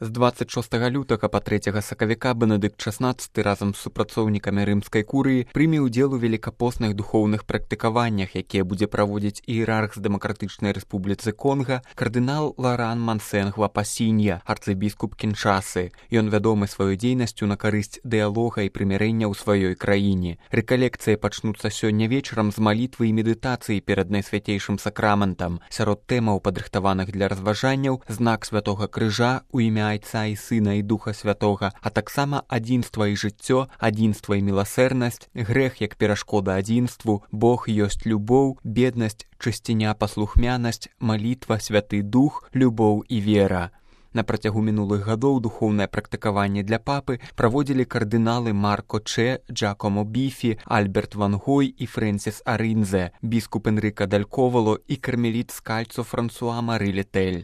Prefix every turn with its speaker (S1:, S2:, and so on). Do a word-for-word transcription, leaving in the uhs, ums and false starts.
S1: З дваццаць шостага лютага па трэцяга сакавіка Бенедыкт шаснаццаты разам з супрацоўнікамі рымскай курыі прыме ўдзел у велікапостных духоўных практыкаваннях, якія будзе праводзіць іерарх з Дэмакратычнай Рэспубліцы Конга кардынал Ларан Мансенгва Пасінья, арцыбіскуп Кіншасы. Ён вядомы сваёй дзейнасцю на карысць дыялога і прымірэння ў сваёй краіне. Рэкалекцыі пачнуцца сёння вечарам з малітвы і медытацыі перад найсвяцейшым сакраментам. Сярод тэмаў, падрыхтаваных для разважанняў, знак святога крыжа у імя Айца і Сына і Духа Святога, а таксама адзінства і жыццё, адзінства і міласэрнасць, грэх як перашкода адзінству, Бог ёсць любоў, беднасць, чысціня, паслухмянасць, малітва, святы дух, любоў і вера. На працягу мінулых гадоў духоўнае практыкаванне для папы праводзілі кардыналы Марко Че, Джакомо Біфі, Альберт Ван Гой і Фрэнсіс Арынзе, біскуп Энрика Даль Ковало і кармеліт Скальцо Франсуа Мары Летель.